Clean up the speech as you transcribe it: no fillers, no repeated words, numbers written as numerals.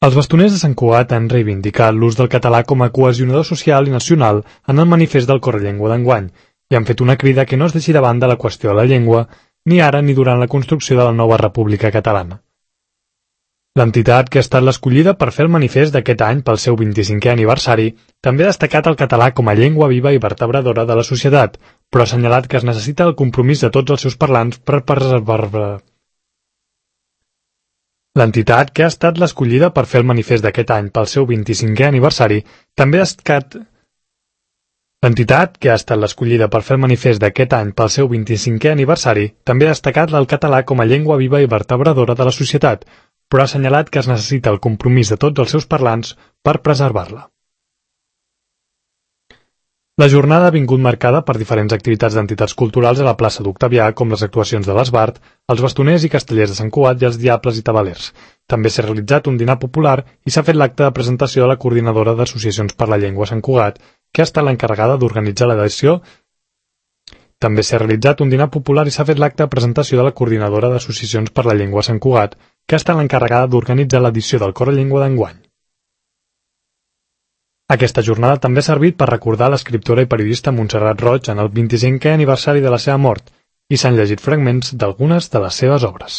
Els bastoners de Sant Cugat han reivindicat l'ús del català com a cohesionador social i nacional en el manifest del Correllengua d'enguany i han fet una crida que no es deixi de banda la qüestió de la llengua ni ara ni durant la construcció de la nova República Catalana. L'entitat que ha estat l'escollida per fer el manifest d'aquest any pel seu 25è aniversari també ha destacat el català com a llengua viva i vertebradora de la societat, però ha assenyalat que es necessita el compromís de tots els seus parlants per preservar-la. L'entitat que ha estat l'escollida per fer el manifest d'aquest any pel seu 25è aniversari també ha destacat el català com a llengua viva i vertebradora de la societat, però ha assenyalat que es necessita el compromís de tots els seus parlants per preservar-la. La jornada ha vingut marcada per diferents activitats d'entitats culturals a la plaça d'Octavià, com les actuacions de l'Esbart, els bastoners i castellers de Sant Cugat i els diables i tabalers. També s'ha realitzat un dinar popular i s'ha fet l'acte de presentació de la coordinadora d'Associacions per la Llengua a Sant Cugat, que ha estat l'encarregada d'organitzar l'edició. També s'ha realitzat un dinar popular i s'ha fet l'acte de presentació de la coordinadora d'Associacions per la Llengua a Sant Cugat, que ha estat l'encarregada d'organitzar l'edició del Correllengua d'enguany. Aquesta jornada també ha servit per recordar l'escriptora i periodista Montserrat Roig en el 25è aniversari de la seva mort i s'han llegit fragments d'algunes de les seves obres.